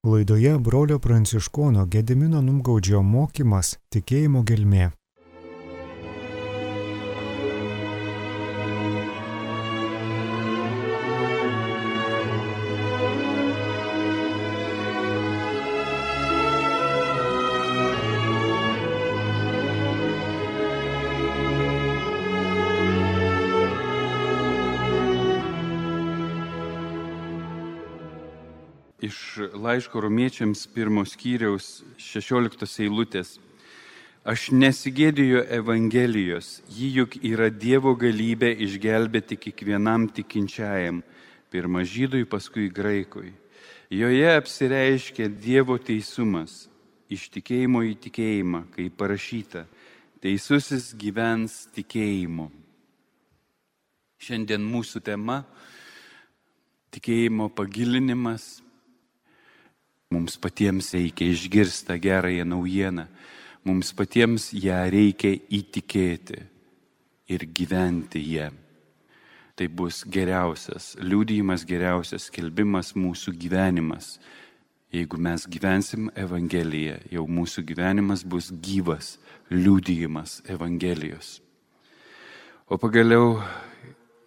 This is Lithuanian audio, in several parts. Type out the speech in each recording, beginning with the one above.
Laidoje brolio pranciškono Gedimino Numgaudžio mokymas tikėjimo gelmė. Iš laiško Romiečiams 1 skyriaus 16 eilutės. Aš nesigėdiju Evangelijos, ji juk yra Dievo galybė išgelbėti kiekvienam tikinčiajam, pirma žydui, paskui graikui. Joje apsireiškia Dievo teisumas, iš tikėjimo į tikėjimą, kaip parašyta, teisusis gyvens tikėjimu. Šiandien mūsų tema - tikėjimo pagilinimas. Mums patiems reikia išgirsti tą gerąją naujieną, mums patiems ją reikia įtikėti ir gyventi ją. Tai bus geriausias liudijimas, geriausias skelbimas mūsų gyvenimas. Jeigu mes gyvensim Evangeliją, jau mūsų gyvenimas bus gyvas liudijimas Evangelijos. O pagaliau,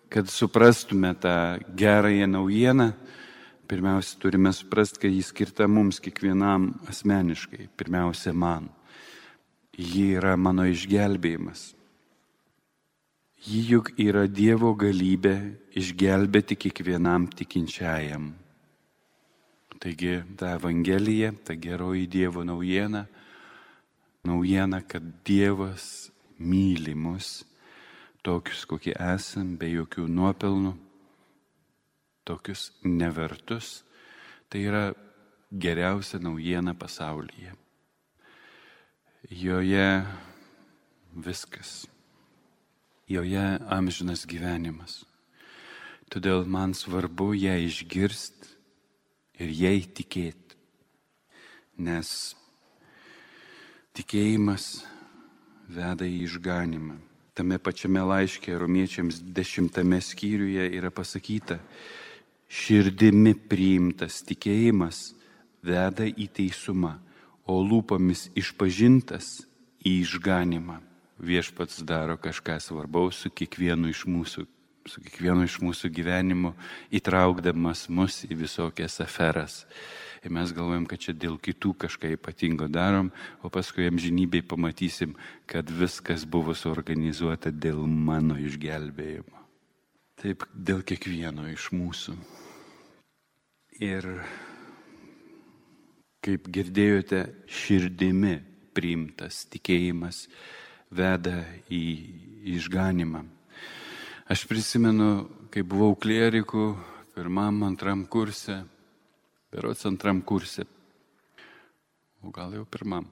kad suprastume tą gerąją naujieną, pirmiausia, turime suprasti, kad jis skirta mums kiekvienam asmeniškai, pirmiausia man. Ji yra mano išgelbėjimas. Ji juk yra Dievo galybė išgelbėti kiekvienam tikinčiajam. Taigi, ta Evangelija, ta geroji Dievo naujiena, kad Dievas myli mus, tokius, kokie esam, be jokių nuopelnų, tokius nevertus, tai yra geriausia naujiena pasaulyje. Joje viskas. Joje amžinas gyvenimas. Todėl man svarbu ją išgirsti ir jai tikėti. Nes tikėjimas veda į išganimą. Tame pačiame laiške Romiečiams 10 skyriuje yra pasakyta, širdimi priimtas tikėjimas veda į teisumą, o lūpomis išpažintas į išganimą. Viešpats daro kažką svarbaus su kiekvienu iš mūsų gyvenimu, įtraukdamas mus į visokias aferas. Ir mes galvojam, kad čia dėl kitų kažką ypatingo darom, o paskui amžinybėj pamatysim, kad viskas buvo suorganizuota dėl mano išgelbėjimo. Taip, dėl kiekvieno iš mūsų. Ir kaip girdėjote, širdimi priimtas tikėjimas veda į išganimą. Aš prisimenu, kai buvau klierikų 1-2 kurse, berods 2 kurse, o gal jau 1.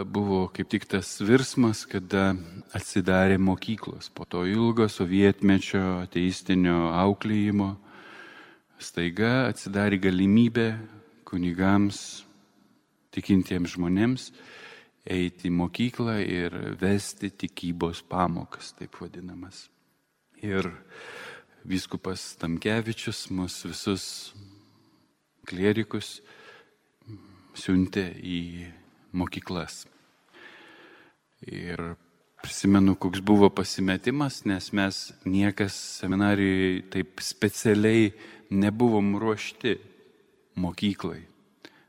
Buvo kaip tik tas virsmas, kada atsidarė mokyklos. Po to ilgo sovietmečio ateistinio auklėjimo staiga atsidarė galimybė kunigams, tikintiems žmonėms eiti į mokyklą ir vesti tikybos pamokas, taip vadinamas. Ir vyskupas Tamkevičius mus visus klierikus siuntė į mokyklas. Ir prisimenu, koks buvo pasimetimas, nes mes niekas seminarijoje taip specialiai nebuvom ruošti mokyklai.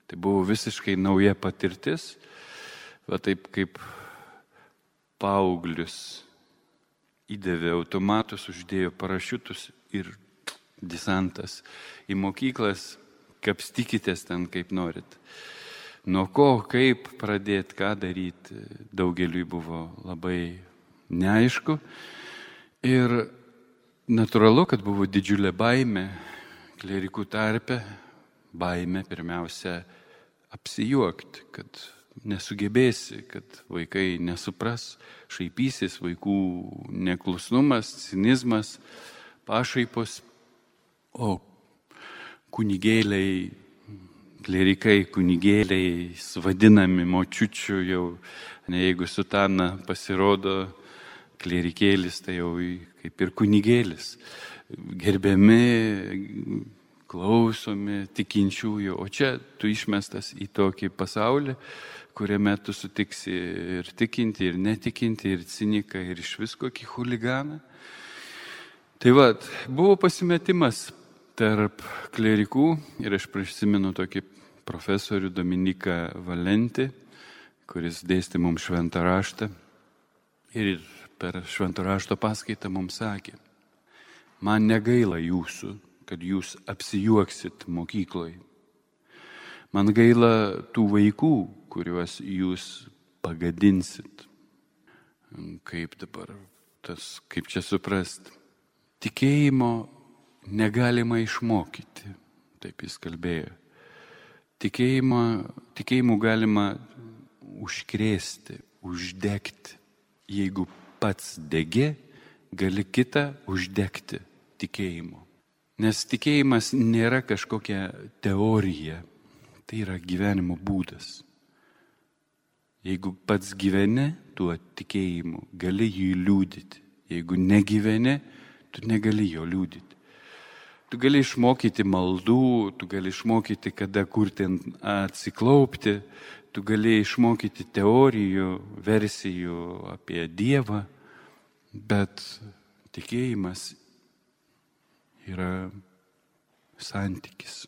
Tai buvo visiškai nauja patirtis, va taip kaip paauglius įdavė automatus, uždėjo parašiutus ir desantas į mokyklas, kapstykitės ten kaip norit. Nuo ko, kaip pradėti, ką daryti, daugeliui buvo labai neaišku. Ir natūralu, kad buvo didžiulė baimė klierikų tarpe, baimė pirmiausia apsijuokti, kad nesugebėsi, kad vaikai nesupras, šaipysis, vaikų neklusnumas, cinizmas, pašaipos, o kunigėliai, klerikai, kunigėliai, vadinami močiučių jau, jeigu sutana pasirodo klerikėlis, tai jau kaip ir kunigėlis. Gerbiami klausomi tikinčiųjų, o čia tu išmestas į tokį pasaulį, kuriame tu sutiksi ir tikinti, ir netikinti, ir ciniką, ir iš visko kokį huliganą. Tai buvo pasimetimas tarp klerikų ir aš prisimenu tokį profesorių Dominiką Valentį, kuris dėstė mums šventą raštą ir per šventą rašto paskaitą mums sakė: man negaila jūsų, kad jūs apsijuoksit mokykloje. Man gaila tų vaikų, kuriuos jūs pagadinsit. Kaip dabar kaip čia suprast? Tikėjimo negalima išmokyti, taip jis kalbėjo. Tikėjimu galima užkrėsti, uždegti. Jeigu pats degi, gali kitą uždegti tikėjimu. Nes tikėjimas nėra kažkokia teorija, tai yra gyvenimo būdas. Jeigu pats gyveni tuo tikėjimu, gali jį liudyti. Jeigu negyveni, tu negali jo liudyti. Tu gali išmokyti maldų, tu gali išmokyti, kada kur ten atsiklaupti, tu gali išmokyti teorijų, versijų apie Dievą, bet tikėjimas yra santykis.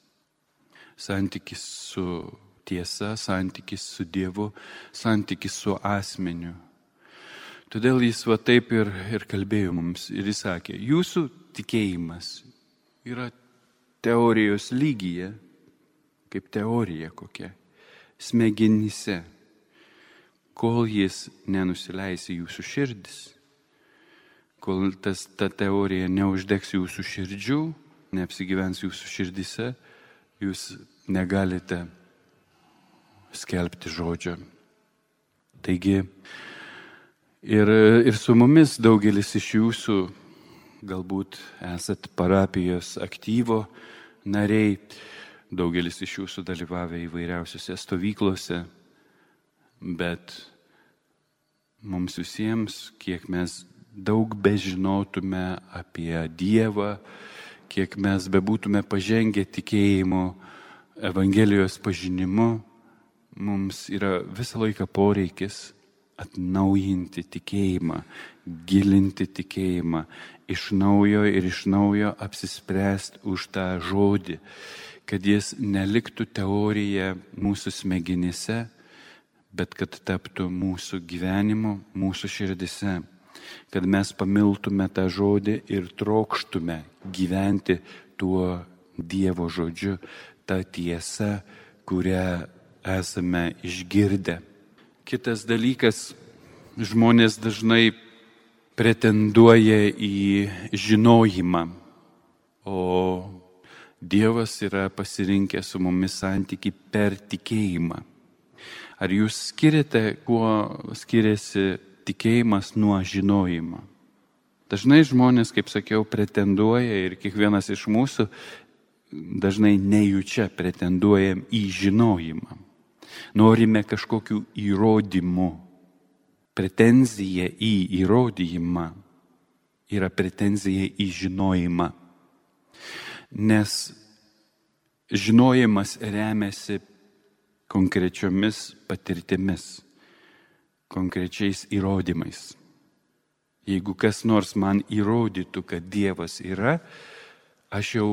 Santykis su tiesa, santykis su Dievu, santykis su asmeniu. Todėl jis taip ir kalbėjo mums ir jis sakė, jūsų tikėjimas yra teorijos lygyje, kaip teorija kokia, smegenyse, kol jis nenusileis į jūsų širdis, kol ta teorija neuždegs jūsų širdžių, neapsigyvens jūsų širdise, jūs negalite skelbti žodžio. Taigi, ir su mumis daugelis iš jūsų galbūt esat parapijos aktyvo nariai, daugelis iš jūsų dalyvavę įvairiausiose stovyklose, bet mums visiems, kiek mes daug bežinotume apie Dievą, kiek mes bebūtume pažengę tikėjimo, Evangelijos pažinimu, mums yra visą laiką poreikis atnaujinti tikėjimą, gilinti tikėjimą, iš naujo apsispręsti už tą žodį, kad jis neliktų teorija mūsų smegenyse, bet kad taptų mūsų gyvenimu, mūsų širdise, kad mes pamiltume tą žodį ir trokštume gyventi tuo Dievo žodžiu, tą tiesą, kurią esame išgirdę. Kitas dalykas, žmonės dažnai pretenduoja į žinojimą, o Dievas yra pasirinkęs su mumis santykį per tikėjimą. Ar jūs skiriate, kuo skiriasi tikėjimas nuo žinojimo? Dažnai žmonės, kaip sakiau, pretenduoja ir kiekvienas iš mūsų dažnai nejučia pretenduojam į žinojimą. Norime kažkokių įrodymų. Pretenzija į įrodymą yra pretenzija į žinojimą. Nes žinojimas remiasi konkrečiomis patirtimis, konkrečiais įrodymais. Jeigu kas nors man įrodytų, kad Dievas yra, aš jau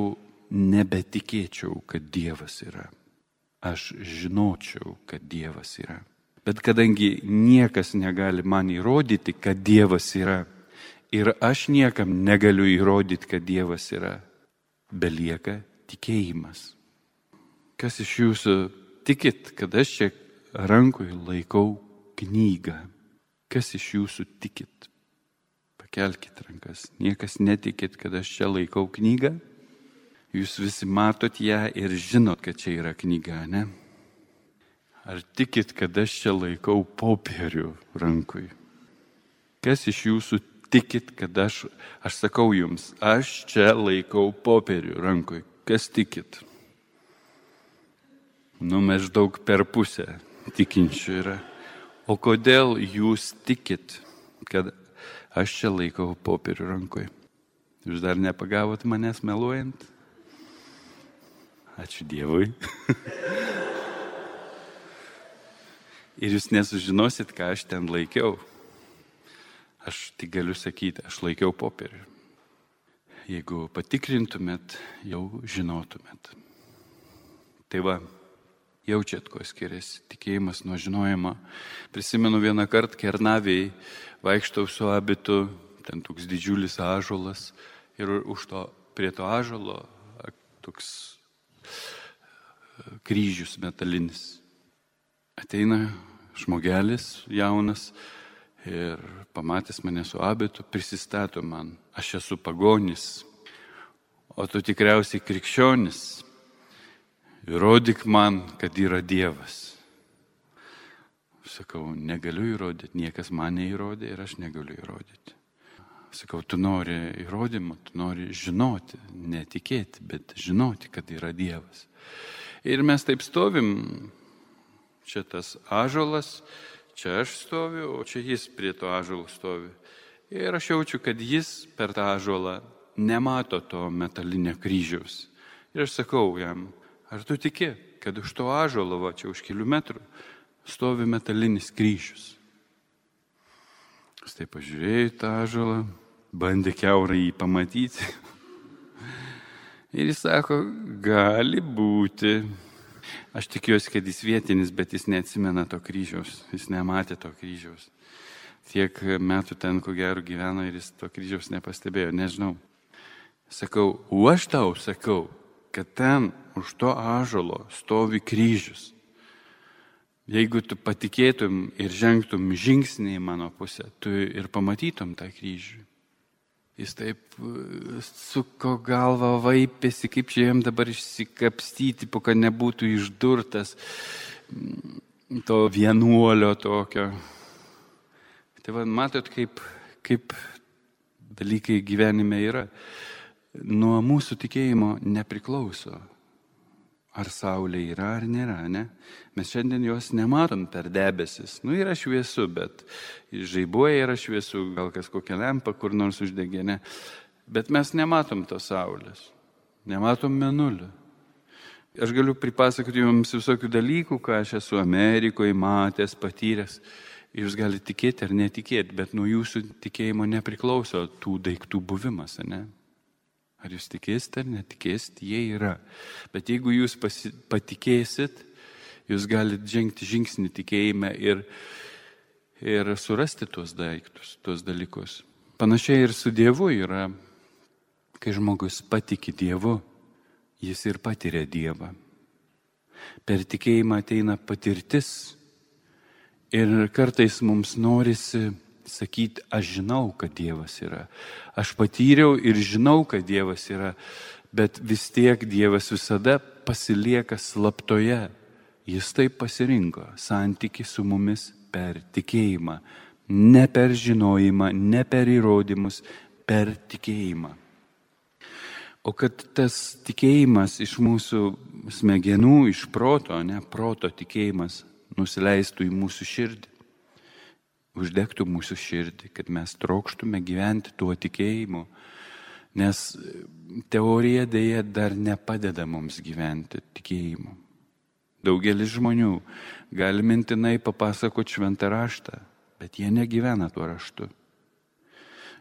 nebetikėčiau, kad Dievas yra. Aš žinočiau, kad Dievas yra. Bet kadangi niekas negali man įrodyti, kad Dievas yra, ir aš niekam negaliu įrodyti, kad Dievas yra, belieka tikėjimas. Kas iš jūsų tikit, kad aš čia rankoje laikau knygą? Kas iš jūsų tikit? Pakelkite rankas. Niekas netikit, kad aš čia laikau knygą? Jūs visi matot ją ir žinot, kad čia yra knyga, ne? Ar tikit, kad aš čia laikau popierių rankui? Kas iš jūsų tikit, kad aš sakau jums, aš čia laikau popierių rankui? Kas tikit? Maždaug per pusę tikinčių yra. O kodėl jūs tikit, kad aš čia laikau popierių rankui? Jūs dar nepagavot manęs meluojant? Ačiū Dievui. Ir jūs nesužinosit, ką aš ten laikiau. Aš tik galiu sakyti, aš laikiau popierių. Jeigu patikrintumėt, jau žinotumėt. Tai va, jaučiat, ko skiriasi tikėjimas nuo žinojimo. Prisimenu vieną kartą Kernavėje vaikštau su abitu, ten toks didžiulis ąžuolas ir prie to ąžuolo toks kryžius metalinis. Ateina žmogelis jaunas ir pamatęs mane su abitu, prisistato man. Aš esu pagonis, o tu tikriausiai krikščionis. Įrodyk man, kad yra Dievas. Sakau, negaliu įrodyti, niekas man neįrodė ir aš negaliu įrodyti. Sakau, tu nori įrodymą, tu nori žinoti, netikėti, bet žinoti, kad yra Dievas. Ir mes taip stovim, čia tas ąžuolas, čia aš stoviu, o čia jis prie to ąžuolo stovi. Ir aš jaučiu, kad jis per tą ąžuolą nemato to metalinio kryžiaus. Ir aš sakau jam, ar tu tiki, kad už to ąžuolo, va čia už kelių metrų, stovi metalinis kryžius? Jis taip pažiūrėjo į tą ąžuolą, bandė kiaurai jį pamatyti. Ir jis sako, gali būti. Aš tikiuosi, kad jis vietinis, bet jis neatsimena to kryžiaus. Jis nematė to kryžiaus. Tiek metų ten, ko gero, gyveno ir jis to kryžiaus nepastebėjo, nežinau. Sakau, o aš tau sakau, kad ten už to ąžuolo stovi kryžius. Jeigu tu patikėtum ir žengtum žingsnį į mano pusę, tu ir pamatytum tą kryžių. Jis taip suko galvą, vaipėsi, kaip čia jam dabar išsikapstyti, po kad nebūtų išdurtas to vienuolio tokio. Tai va, matot, kaip dalykai gyvenime yra. Nuo mūsų tikėjimo nepriklauso, ar saulė yra ar nėra, ne? Mes šiandien jos nematom per debesis. Yra šviesu, bet žaibuoja yra šviesu, gal kas kokią lempą kur nors uždegė, ne? Bet mes nematom tos saulės, nematom mėnulio. Aš galiu pripasakoti jums visokių dalykų, ką aš esu Amerikoje matęs, patyręs. Jūs galite tikėti ar netikėti, bet nuo jūsų tikėjimo nepriklauso tų daiktų buvimas, ne? Ar jūs tikėsite ar netikėsite, jie yra. Bet jeigu jūs patikėsit, jūs galite žengti žingsnį tikėjime ir surasti tuos daiktus, tuos dalykus. Panašiai ir su Dievu yra, kai žmogus patiki Dievu, jis ir patiria Dievą. Per tikėjimą ateina patirtis ir kartais mums norisi sakyti, aš žinau, kad Dievas yra. Aš patyriau ir žinau, kad Dievas yra, bet vis tiek Dievas visada pasilieka slaptoje. Jis taip pasirinko santykį su mumis per tikėjimą. Ne per žinojimą, ne per įrodymus, per tikėjimą. O kad tas tikėjimas iš mūsų smegenų, iš proto, proto tikėjimas nusileistų į mūsų širdį, uždegtų mūsų širdį, kad mes trokštume gyventi tuo tikėjimu, nes teorija dėja dar nepadeda mums gyventi tikėjimu. Daugelis žmonių gali mintinai papasakoti šventą raštą, bet jie negyvena tuo raštu.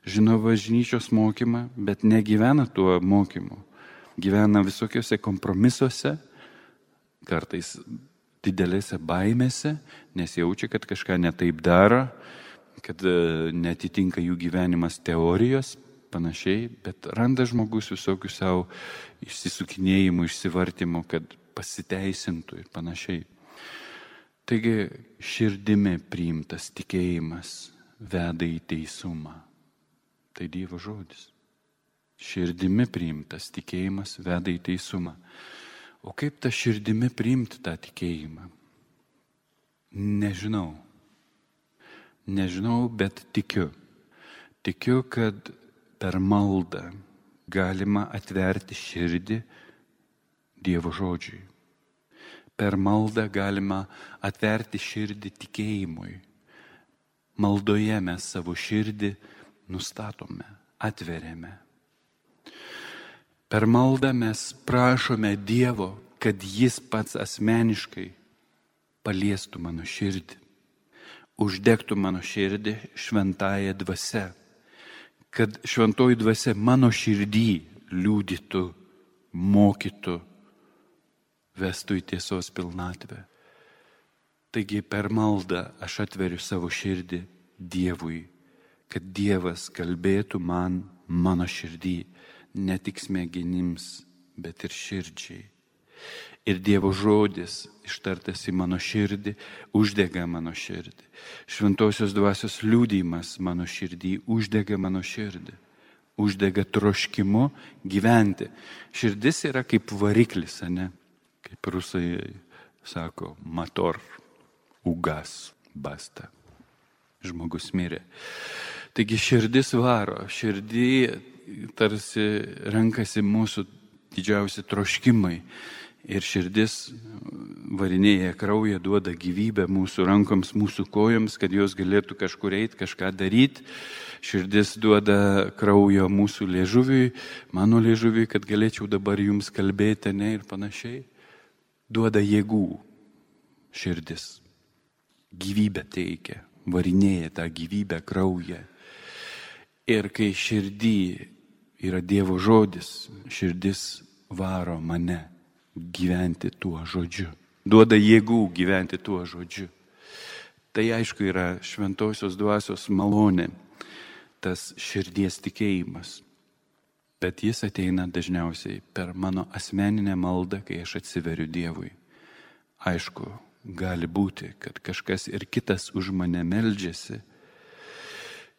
Žino bažnyčios mokymą, bet negyvena tuo mokymu. Gyvena visokiuose kompromisuose, kartais didelėse baimėse, nes jaučia, kad kažką netaip daro, kad netitinka jų gyvenimas teorijos, panašiai, bet randa žmogus visokių savo išsisukinėjimų, išsivartymų, kad pasiteisintų ir panašiai. Taigi širdimi priimtas tikėjimas veda į teisumą. Tai Dievo žodis. Širdimi priimtas tikėjimas veda į teisumą. O kaip tą širdimi priimti tą tikėjimą? Nežinau. Nežinau, bet tikiu. Tikiu, kad per maldą galima atverti širdį Dievo žodžiui. Per maldą galima atverti širdį tikėjimui. Maldoje mes savo širdį nustatome, atveriame. Per maldą mes prašome Dievo, kad Jis pats asmeniškai paliestų mano širdį, uždegtų mano širdį šventąją dvasią, kad šventoji dvasia mano širdį liudytų, mokytų, vestų į tiesos pilnatvę. Taigi per maldą aš atveriu savo širdį Dievui, kad Dievas kalbėtų man mano širdį, ne tik smegenims, bet ir širdžiai. Ir Dievo žodis ištartas į mano širdį, uždega mano širdį. Šventosios dvasios liudijimas mano širdį uždega mano širdį. Uždega troškimu gyventi. Širdis yra kaip variklis, ne? Kaip rusai sako, motor, ugas, basta. Žmogus mirė. Taigi širdis varo, širdį tarsi renkasi mūsų didžiausi troškimai. Ir širdis varinėja kraują, duoda gyvybę mūsų rankoms, mūsų kojoms, kad jos galėtų kažkur eiti, kažką daryti. Širdis duoda kraujo mūsų liežuviui, mano liežuviui, kad galėčiau dabar jums kalbėti, ne, ir panašiai. Duoda jėgų širdis. Gyvybę teikia, varinėja tą gyvybę kraują. Ir kai širdį yra Dievo žodis, širdis varo mane gyventi tuo žodžiu. Duoda jėgų gyventi tuo žodžiu. Tai aišku yra šventosios dvasios malonė, tas širdies tikėjimas. Bet jis ateina dažniausiai per mano asmeninę maldą, kai aš atsiveriu Dievui. Aišku, gali būti, kad kažkas ir kitas už mane meldžiasi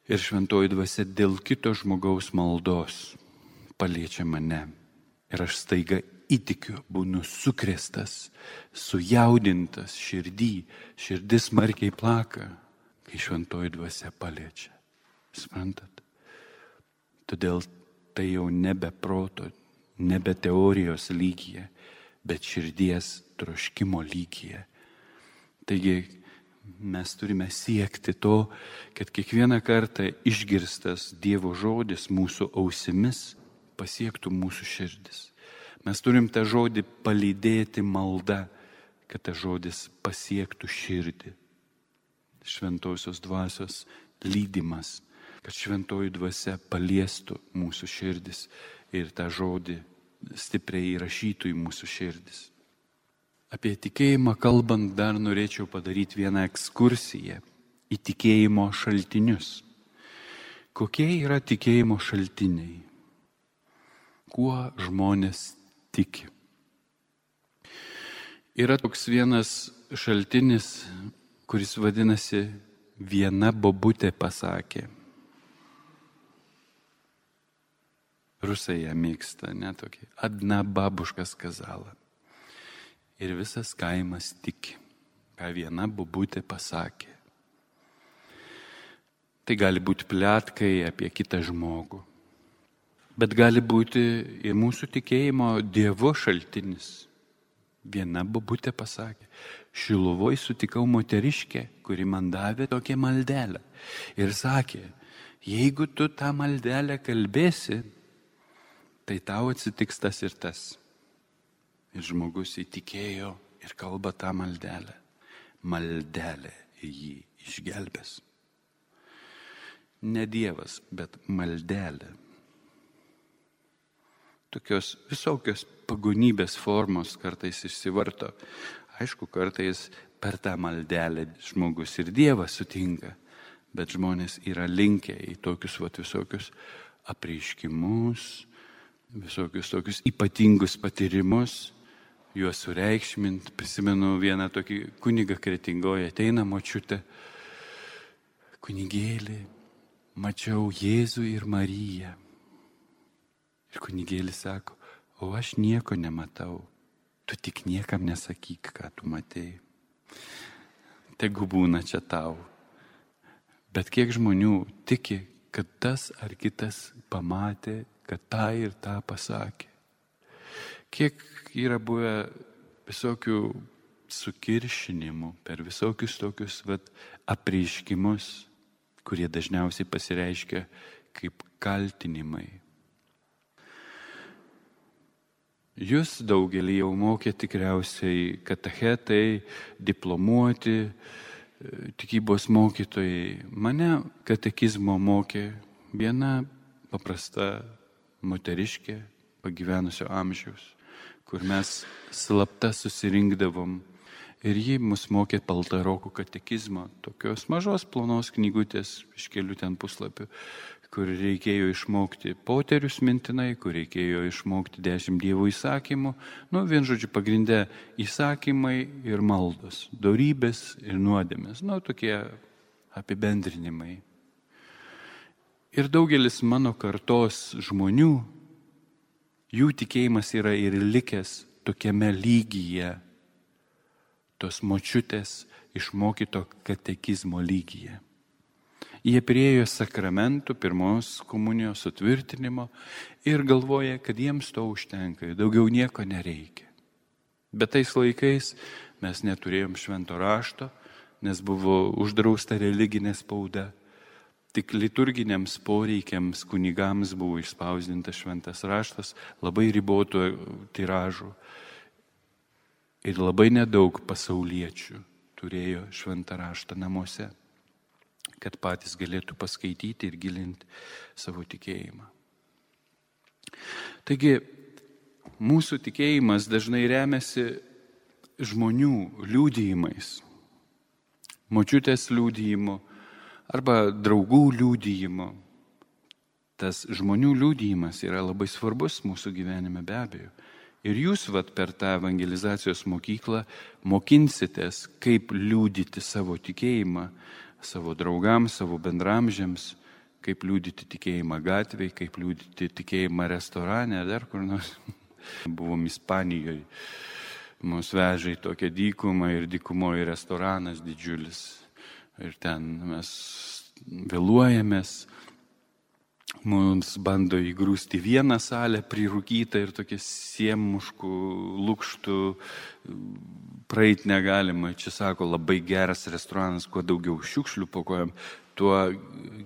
ir šventoji dvasia dėl kito žmogaus maldos paliečia mane. Ir aš staiga įtikiu, būnu sukrėstas, sujaudintas širdį, širdis smarkiai plaka, kai šventoji dvasia paliečia. Suprantat? Todėl tai jau nebe proto, nebe teorijos lygyje, bet širdies troškimo lygyje. Taigi mes turime siekti to, kad kiekvieną kartą išgirstas Dievo žodis mūsų ausimis pasiektų mūsų širdis. Mes turim tą žodį palydėti malda, kad tas žodis pasiektų širdį. Šventosios dvasios lydimas, kad šventoji dvasia paliestų mūsų širdis ir tą žodį stipriai įrašytų į mūsų širdis. Apie tikėjimą kalbant dar norėčiau padaryti vieną ekskursiją į tikėjimo šaltinius. Kokie yra tikėjimo šaltiniai? Kuo žmonės tiki? Yra toks vienas šaltinis, kuris vadinasi viena bobutė pasakė. Rusai ją mėgsta, netokį. Adna babuška skazala. Ir visas kaimas tiki, ką viena bobutė pasakė. Tai gali būti pletkai apie kitą žmogų. Bet gali būti ir mūsų tikėjimo Dievo šaltinis. Viena bobutė pasakė, Šiluvoj sutikau moteriškę, kuri man davė tokią maldelę. Ir sakė, jeigu tu tą maldelę kalbėsi, tai tau atsitiks tas ir tas. Ir žmogus įtikėjo ir kalba tą maldelę. Maldelė jį išgelbės. Ne Dievas, bet maldelė. Tokios visokios pagonybės formos kartais išsivarto. Aišku, kartais per tą maldelę žmogus ir Dievas sutinka, bet žmonės yra linkę į tokius visokius apreiškimus, visokius tokius ypatingus patyrimus, juos sureikšmint. Prisimenu vieną tokį kunigą Kretingoje, ateina močiutė, kunigėlį, mačiau Jėzų ir Mariją. Ir kunigėlis sako, o aš nieko nematau, tu tik niekam nesakyk, ką tu matei. Tegu būna čia tau. Bet kiek žmonių tiki, kad tas ar kitas pamatė, kad tą ir tą pasakė. Kiek yra buvę visokių sukiršinimų per visokius tokius apreiškimus, kurie dažniausiai pasireiškia kaip kaltinimai. Jūs daugelį jau mokė tikriausiai katechetai, diplomuoti, tikybos mokytojai. Mane katekizmo mokė viena paprasta moteriškė pagyvenusio amžiaus, kur mes slapta susirinkdavom ir ji mus mokė paltarokų katekizmo, tokios mažos plonos knygutės iš kelių ten puslapių, kur reikėjo išmokti poterius mintinai, kur reikėjo išmokti 10 Dievo įsakymų. Vien žodžiu, pagrindė įsakymai ir maldos, dorybės ir nuodėmės. Tokie apibendrinimai. Ir daugelis mano kartos žmonių, jų tikėjimas yra ir likęs tokiame lygyje, tos močiutės išmokyto katekizmo lygyje. Jie priėjo sakramentų, pirmos komunijos sutvirtinimo ir galvoja, kad jiems to užtenka, daugiau nieko nereikia. Bet tais laikais mes neturėjom švento rašto, nes buvo uždrausta religinė spauda. Tik liturginiams poreikiams kunigams buvo išspausdintas šventas raštas, labai ribotų tiražų. Ir labai nedaug pasauliečių turėjo šventą raštą namuose, kad patys galėtų paskaityti ir gilinti savo tikėjimą. Taigi, mūsų tikėjimas dažnai remiasi žmonių liudijimais, močiutės liudijimu arba draugų liudijimu. Tas žmonių liudijimas yra labai svarbus mūsų gyvenime be abejo. Ir jūs per tą evangelizacijos mokyklą mokinsitės, kaip liudyti savo tikėjimą, savo draugams, savo bendramžiams, kaip liudyti tikėjimą gatvėje, kaip liudyti tikėjimą restorane, dar kur nors. Buvom Ispanijoje, mus vežė į tokią dykumą ir dykumoje restoranas didžiulis. Ir ten mes vėluojamės, mums bando įgrūsti vieną salę prirūkytą ir tokia siemuškų lukštų praeit negalima. Čia sako, labai geras restoranas, kuo daugiau šiukšlių po kojom, tuo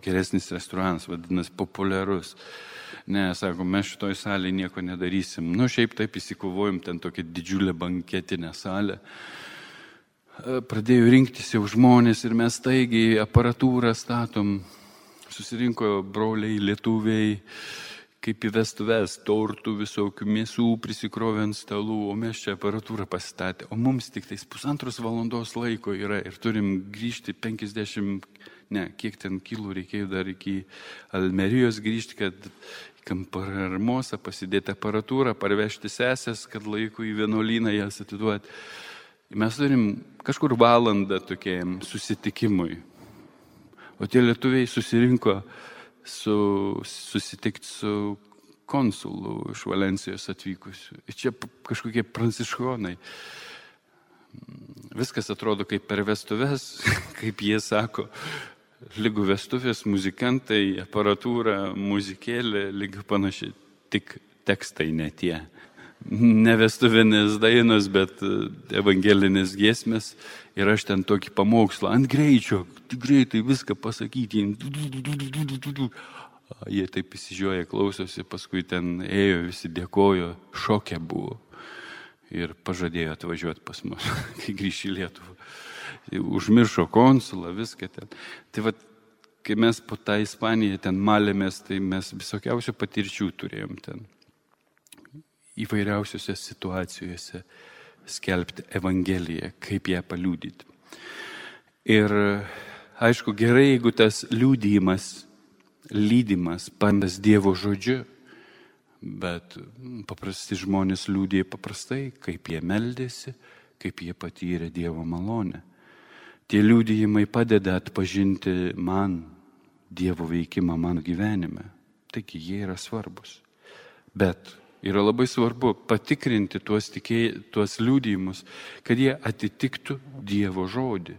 geresnis restoranas, vadinasi, populiarus. Ne, sako, mes šitoj salėje nieko nedarysim. Šiaip taip įsikovojom ten tokią didžiulę banketinę salę. Pradėjo rinktis jau žmonės ir mes taigiai aparatūrą statom. Susirinko broliai, lietuviai, kaip į vestuves, tortų visokių, mėsų prisikrovė ant stalų, o mes čia aparatūrą pasistatė. O mums tik tais 1,5 valandos laiko yra ir turim grįžti 50, kiek ten kilų reikėjo dar iki Almerijos grįžti, kad Kampararmosą pasidėti aparatūrą, parvežti sesės, kad laiku į vienuolyną jas atiduoti. Mes turim kažkur valandą tokiam susitikimui. O tie lietuviai susirinko susitikti su konsulu iš Valencijos atvykusiu. Ir čia kažkokie pranciškonai. Viskas atrodo kaip per vestuves, kaip jie sako, lygų vestuvės, muzikantai, aparatūra, muzikėlė, lygų panašiai, tik tekstai ne tie. Ne vestuvinės dainos, bet evangelinės giesmės. Ir aš ten tokį pamokslą ant greičio, greitai viską pasakyti. Jie taip įsižioja, klausosi, paskui ten ėjo, visi dėkojo, šoke buvo. Ir pažadėjo atvažiuoti pas mus, kai grįš į Lietuvą. Užmiršo konsulą, viską ten. Tai kai mes po tą Ispaniją ten malėmės, tai mes visokiausių patirčių turėjom ten. Įvairiausiose situacijose skelbti Evangeliją, kaip ją paliudyti. Ir aišku, gerai, jeigu tas liudijimas, lydimas, pandas Dievo žodžiu, bet paprasti žmonės liudija paprastai, kaip jie meldėsi, kaip jie patyrė Dievo malonę. Tie liudijimai padeda atpažinti man Dievo veikimą mano gyvenime. Taigi jie yra svarbus. Bet yra labai svarbu patikrinti tuos liudijimus, kad jie atitiktų Dievo žodį.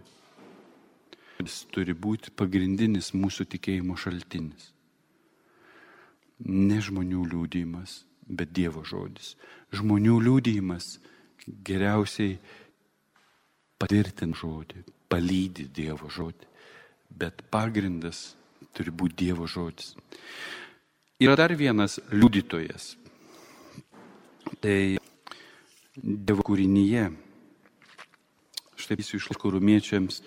Jis turi būti pagrindinis mūsų tikėjimo šaltinis. Ne žmonių liudijimas, bet Dievo žodis. Žmonių liudijimas geriausiai patvirtina žodį, palydi Dievo žodį, bet pagrindas turi būti Dievo žodis. Yra dar vienas liudytojas. Tai Dievo kūrinyje. Štai iš laiško Romiečiams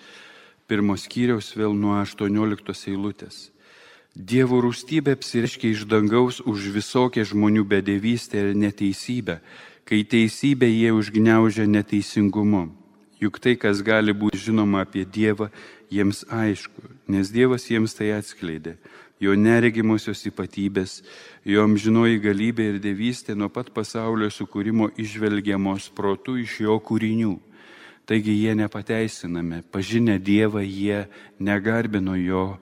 1 skyriaus vėl nuo 18 eilutės. Dievo rūstybė apsireiškia iš dangaus už visokią žmonių bedevystę ir neteisybę, kai teisybę jie užgniaužia neteisingumu. Juk tai, kas gali būti žinoma apie Dievą, jiems aišku, nes Dievas jiems tai atskleidė. Jo neregimosios ypatybės, jo amžinoji galybė ir dievystė nuo pat pasaulio sukūrimo išvelgiamos protu iš jo kūrinių. Taigi jie nepateisinami, pažinę Dievą jie negarbino jo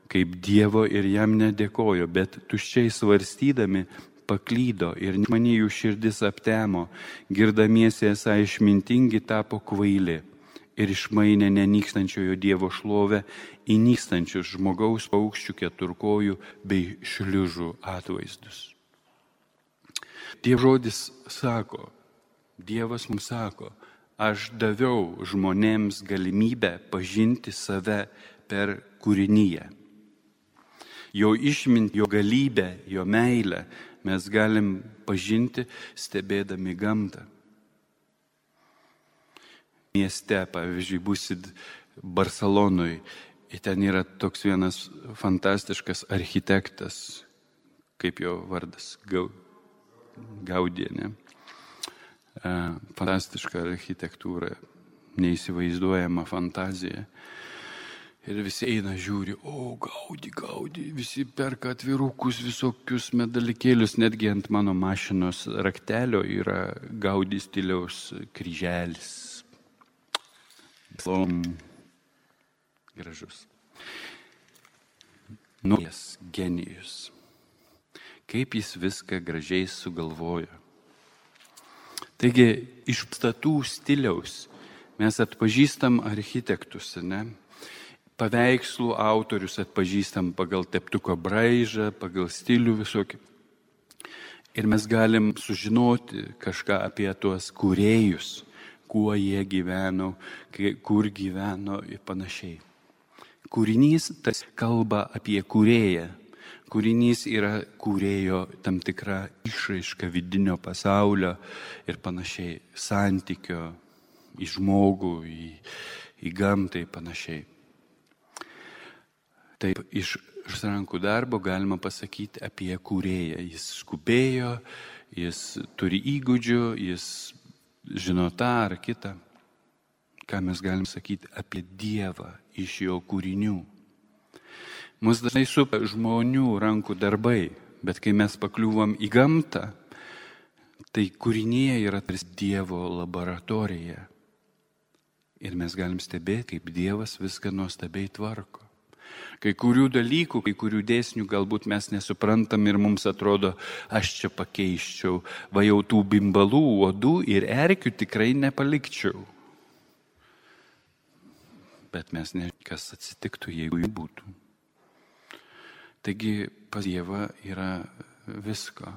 kaip Dievo ir jam nedėkojo, bet tuščiai svarstydami paklydo ir nemani jų širdis aptemo, girdamiesi esą išmintingi tapo kvaili ir išmainė nenykstančiojo Dievo šlovę į nykstančius žmogaus, paukščių, keturkojų bei šliužų atvaizdus. Dievo žodis sako, Dievas mums sako, aš daviau žmonėms galimybę pažinti save per kūrinyje. Jo išmintį, jo galybę, jo meilę mes galim pažinti stebėdami gamtą. Mieste, pavyzdžiui, būsit Barcelonoj, ir ten yra toks vienas fantastiškas architektas, kaip jo vardas, Gaudí, ne? Fantastiška architektūra, neįsivaizduojama fantazija. Ir visi eina žiūri, Gaudí, visi perka atvirukus, visokius medalikėlius, netgi ant mano mašinos raktelio yra Gaudí stiliaus kryželis. Gražus. Naujas genijus. Kaip jis viską gražiai sugalvojo. Taigi, iš pastatų stiliaus mes atpažįstam architektus, ne? Paveikslų autorius atpažįstam pagal teptuko braižą, pagal stilių visokį. Ir mes galim sužinoti kažką apie tuos kūrėjus, kuo jie gyveno, kur gyveno ir panašiai. Kūrinys tas kalba apie kūrėją. Kūrinys yra kūrėjo tam tikra išraiška vidinio pasaulio ir panašiai, santykio į žmogų, į gamtą ir panašiai. Taip, iš rankų darbo galima pasakyti apie kūrėją. Jis skubėjo, jis turi įgūdžių, jis žino tą ar kitą. Ką mes galim sakyti apie Dievą iš jo kūrinių. Mūsų dažnai supa žmonių rankų darbai, bet kai mes pakliūvam į gamtą, tai kūrinyje yra tarsi Dievo laboratorija. Ir mes galim stebėti, kaip Dievas viską nuostabiai tvarko. Kai kurių dalykų, kai kurių dėsnių galbūt mes nesuprantam ir mums atrodo, aš čia pakeiščiau, va jau tų bimbalų, uodų ir erkių tikrai nepalikčiau. Bet mes nežinome, kas atsitiktų, jeigu jų būtų. Taigi pas Dievą yra visko.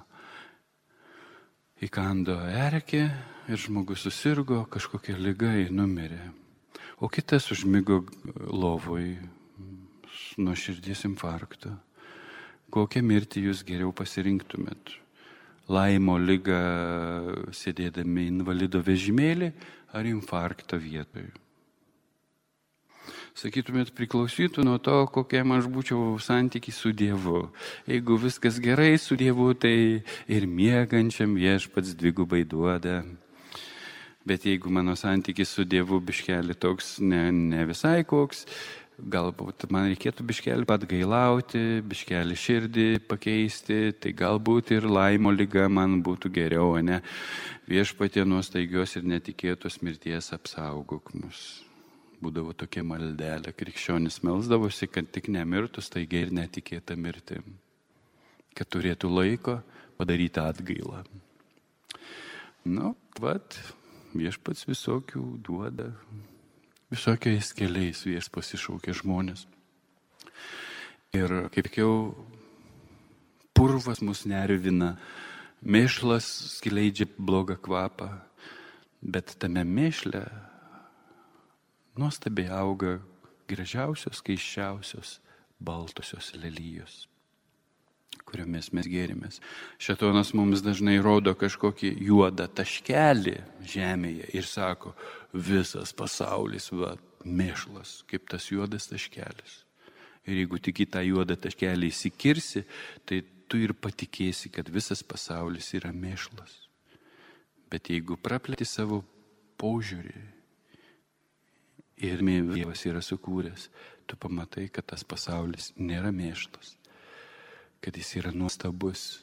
Įkando erkė ir žmogus susirgo, kažkokia liga ir numirė. O kitas užmigo lovoj nuo širdies infarkto. Kokią mirtį jūs geriau pasirinktumėt? Laimo ligą sėdėdami invalido vežimėlį ar infarktą vietoje? Sakytumėt, priklausytų nuo to, kokiam aš būčiau santykį su Dievu. Jeigu viskas gerai su Dievu, tai ir miegančiam Viešpats dvigubai duoda. Bet jeigu mano santykis su Dievu biškelį toks ne visai koks, galbūt man reikėtų biškelį atgailauti, biškelį širdį pakeisti, tai galbūt ir laimo liga man būtų geriau, ne? Viešpatie nuo staigios ir netikėtos mirties apsaugok mus. Būdavo tokia maldelė, krikščionis melsdavosi, kad tik nemirtų staigiai ir netikėta mirtim, kad turėtų laiko padaryti atgailą. Viešpats visokių duoda, visokiais keliais Viešpats iššaukia žmonės. Ir kaip jau purvas mus nervina, mėšlas skleidžia blogą kvapą, bet tame mėšle nuostabiai auga gražiausios, keiščiausios, baltosios lelijos. kuriomis mes gėrimės. Šėtonas mums dažnai rodo kažkokį juodą taškelį žemėje ir sako, visas pasaulis, mėšlas, kaip tas juodas taškelis. Ir jeigu tik į tą juodą taškelį įsikirsi, tai tu ir patikėsi, kad visas pasaulis yra mėšlas. Bet jeigu praplėti savo požiūrį ir Dievas yra sukūręs, tu pamatai, kad tas pasaulis nėra mėšlas, kad jis yra nuostabus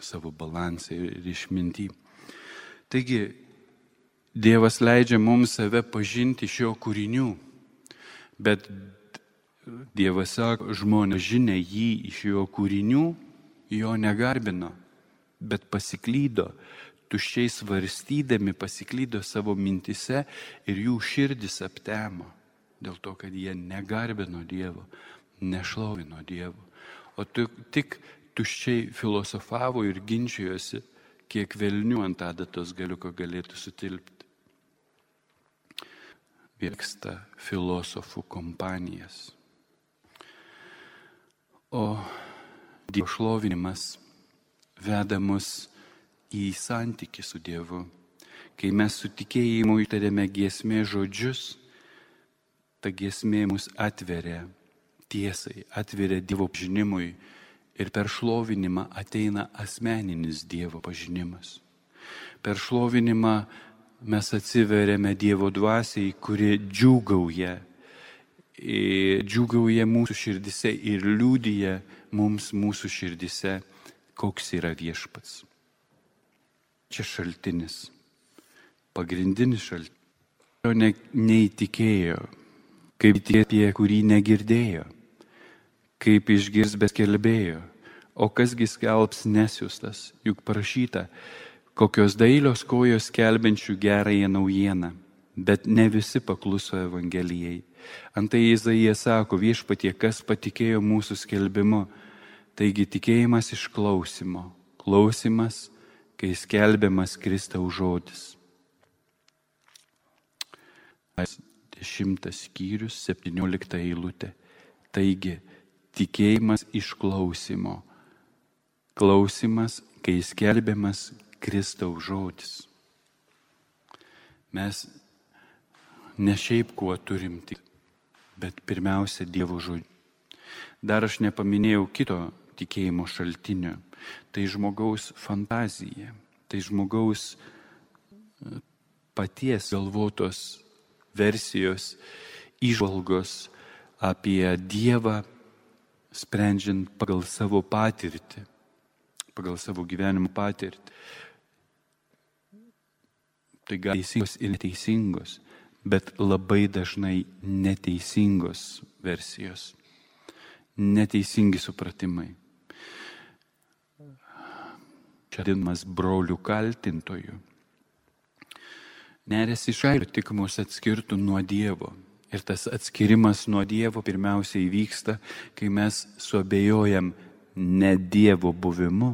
savo balansą ir išmintį. Taigi, Dievas leidžia mums save pažinti iš jo kūrinių, bet Dievas sako, žmonės žinė jį iš jo kūrinių, jo negarbino, bet pasiklydo, tuščiai svarstydami pasiklydo savo mintise ir jų širdis aptemo, dėl to, kad jie negarbino Dievo, nešlovino Dievo, o tik tuščiai filosofavo ir ginčijosi, kiek velnių ant adatos galiuko galėtų sutilpti. Vyksta filosofų kompanijas. O Dievo šlovinimas veda mus į santykį su Dievu. Kai mes su tikėjimu ištariame giesmės žodžius, ta giesmė mus atveria tiesai, atveria Dievo pažinimui ir per šlovinimą ateina asmeninis Dievo pažinimas. Per šlovinimą mes atsiveriame Dievo dvasiai, kuri džiūgauja mūsų širdise ir liudija mums mūsų širdise, koks yra viešpats. Čia šaltinis, pagrindinis šaltinis. Jo neįtikėjo, kaip tie, apie kurį negirdėjo, kaip išgirs bet skelbėjo, o kasgi skelbs nesiųstas, juk parašyta, kokios dailios kojos skelbiančių gerąją naujieną, bet ne visi pakluso Evangelijai. Antai Izaija sako, viešpatie, kas patikėjo mūsų skelbimu, taigi tikėjimas iš klausimo, klausimas, kai skelbiamas Kristaus žodis. 10 skyrius, 17 eilutė. Taigi, tikėjimas iš klausimo, klausimas, kai skelbiamas Kristaus žodis. Mes ne šiaip kuo turim tik, bet pirmiausia Dievo žodžiu. Dar aš nepaminėjau kito tikėjimo šaltinio. Tai žmogaus fantazija, tai žmogaus paties galvotos versijos, įžvalgos apie Dievą, sprendžiant pagal savo patirtį, pagal savo gyvenimo patirtį. Tai gali teisingos ir neteisingos, bet labai dažnai neteisingos versijos, neteisingi supratimai. Čia vadinamas brolių kaltintojų. Neris iš kailio tik mus atskirtų nuo Dievo. Ir tas atskirimas nuo Dievo pirmiausiai vyksta, kai mes suabejojam ne Dievo buvimu,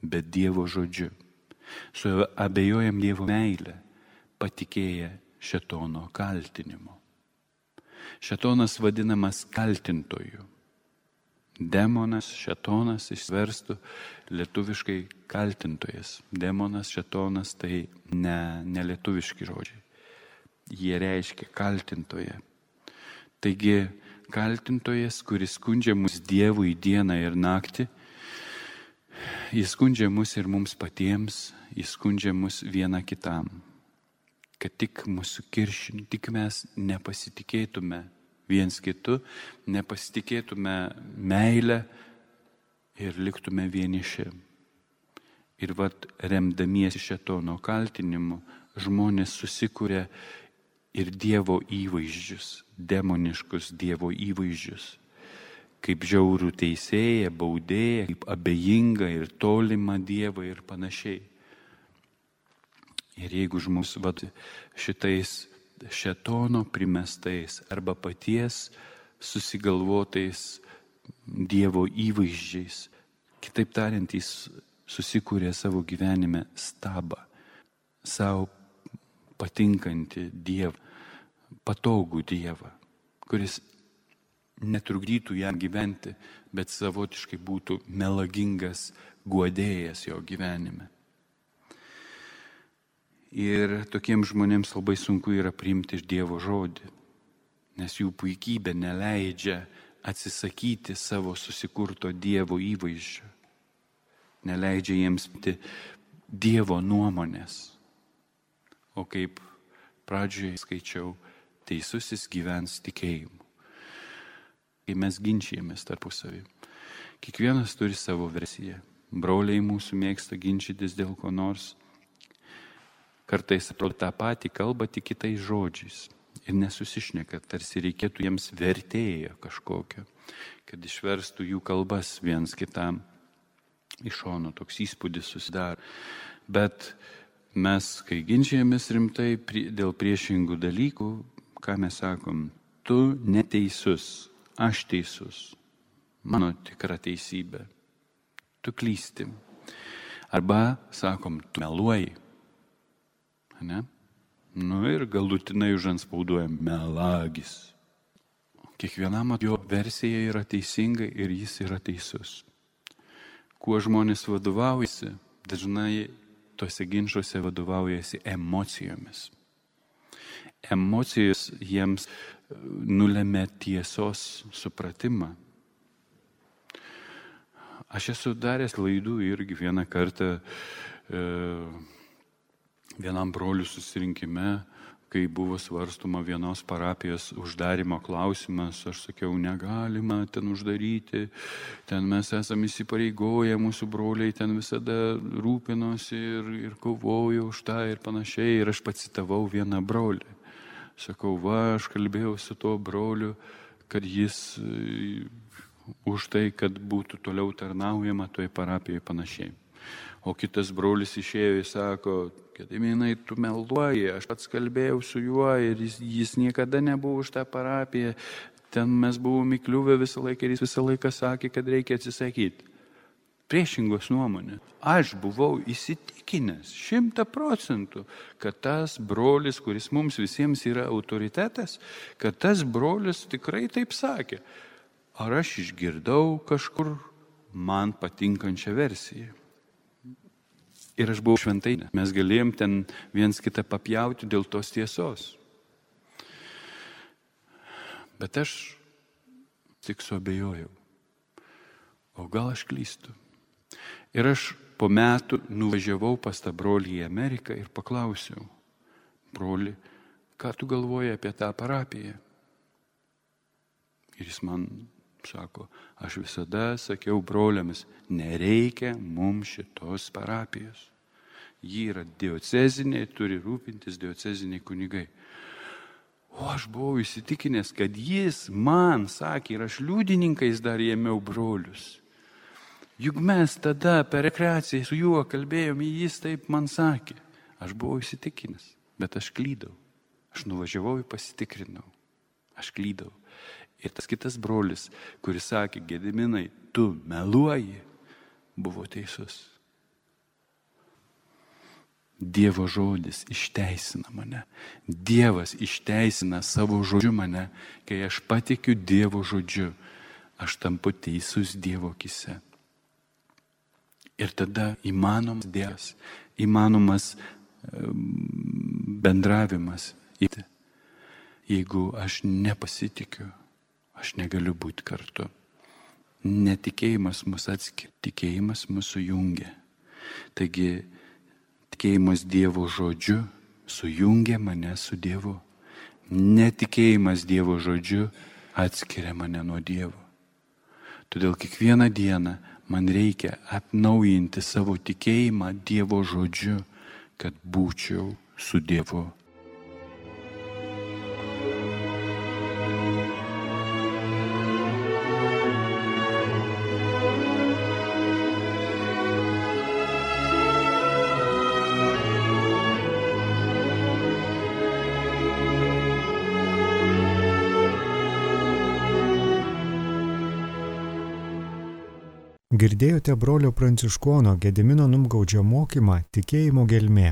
bet Dievo žodžiu. Suabejojam Dievo meilę, patikėję šėtono kaltinimu. Šėtonas vadinamas kaltintoju. Demonas, šėtonas išverstų lietuviškai kaltintojas. Demonas, šėtonas tai ne lietuviški žodžiai. Jie reiškia kaltintoje. Taigi kaltintojas, kuris skundžia mus Dievui dieną ir naktį, jis skundžia mus ir mums patiems, jis skundžia mus vieną kitam. Kad tik mūsų kiršin, tik mes nepasitikėtume viens kitu, nepasitikėtume meilę ir liktume vieniši. Ir remdamiesi šėtono kaltinimu, žmonės susikuria ir Dievo įvaizdžius, demoniškus Dievo įvaizdžius, kaip žiaurų teisėją, baudėją, kaip abejingą ir tolimą Dievą ir panašiai. Ir jeigu žmogus šitais šėtono primestais arba paties susigalvotais Dievo įvaizdžiais, kitaip tariant, jis susikūrė savo gyvenime stabą, savo patinkantį Dievą, patogų Dievą, kuris netrukdytų jam gyventi, bet savotiškai būtų melagingas guodėjas jo gyvenime. Ir tokiems žmonėms labai sunku yra priimti iš Dievo žodį, nes jų puikybė neleidžia atsisakyti savo susikurto Dievo įvaizdžio, neleidžia jiems būti Dievo nuomonės. O kaip pradžioje skaičiau, teisusis gyvens tikėjimu. Kai mes ginčijamės tarpusavį, kiekvienas turi savo versiją. Broliai mūsų mėgsta ginčytis dėl ko nors. Kartais atrodo tą patį kalba tik kitais žodžiais ir nesusišneka, tarsi reikėtų jiems vertėjo kažkokio, kad išverstų jų kalbas viens kitam. Iš šono toks įspūdis susidaro. Bet mes, kai ginčijamės rimtai dėl priešingų dalykų, ką mes sakom? Tu neteisus, aš teisus, mano tikra teisybė, tu klysti. Arba sakom, tu meluoji. Ne? Ir galutinai užantspauduojam melagis. Kiekvienam jo versija yra teisinga ir jis yra teisus. Kuo žmonės vadovaujasi, dažnai tose ginčiuose vadovaujasi emocijomis. Emocijos jiems nulemia tiesos supratimą. Aš esu daręs klaidų irgi vieną kartą vienam brolių susirinkime, kai buvo svarstoma vienos parapijos uždarimo klausimas, aš sakiau, negalima ten uždaryti, ten mes esame įsipareigoję, mūsų broliai ten visada rūpinosi ir kovojo už tą ir panašiai. Ir aš pacitavau vieną brolį. Sakau, aš kalbėjau su tuo broliu, kad jis už tai, kad būtų toliau tarnaujama toje parapijoje panašiai. O kitas brolis išėjo ir sako, Gediminai, tu meluoji, aš pats kalbėjau su juo ir jis niekada nebuvo už tą parapiją, ten mes buvome įkliuvę visą laiką ir jis visą laiką sakė, kad reikia atsisakyti. Priešingos nuomonės. Aš buvau įsitikinęs 100%, kad tas brolis, kuris mums visiems yra autoritetas, kad tas brolis tikrai taip sakė. Ar aš išgirdau kažkur man patinkančią versiją? Ir aš buvau šventai. Mes galėjom ten viens kitą papjauti dėl tos tiesos. Bet aš tik suabejojau. O gal aš klystu? Ir aš po metų nuvažiavau pas tą brolį į Ameriką ir paklausiau, broli, ką tu galvoji apie tą parapiją? Ir jis man sako, aš visada sakiau broliams, nereikia mums šitos parapijos. Ji yra diocezinė, turi rūpintis dioceziniai kunigai. O aš buvau įsitikinęs, kad jis man sakė, ir aš liudininkais dar ėmiau brolius. Juk mes tada per rekreaciją su juo kalbėjome, jis taip man sakė. Aš buvau įsitikinęs, bet aš klydau. Aš nuvažiavau ir pasitikrinau. Aš klydau. Ir tas kitas brolis, kuris sakė, Gediminai, tu meluoji, buvo teisus. Dievo žodis išteisina mane. Dievas išteisina savo žodžiu mane. Kai aš patikiu Dievo žodžiu, aš tampu teisus Dievo akyse. Ir tada įmanomas Dievas, įmanomas bendravimas. Jeigu aš nepasitikiu, aš negaliu būti kartu. Netikėjimas mus atskiria, tikėjimas mus sujungia. Taigi, tikėjimas Dievo žodžiu sujungia mane su Dievu. Netikėjimas Dievo žodžiu atskiria mane nuo Dievo. Todėl kiekvieną dieną man reikia atnaujinti savo tikėjimą Dievo žodžiu, kad būčiau su Dievu. Girdėjote brolio Pranciškono Gedimino Numgaudžio mokymą Tikėjimo gelmė.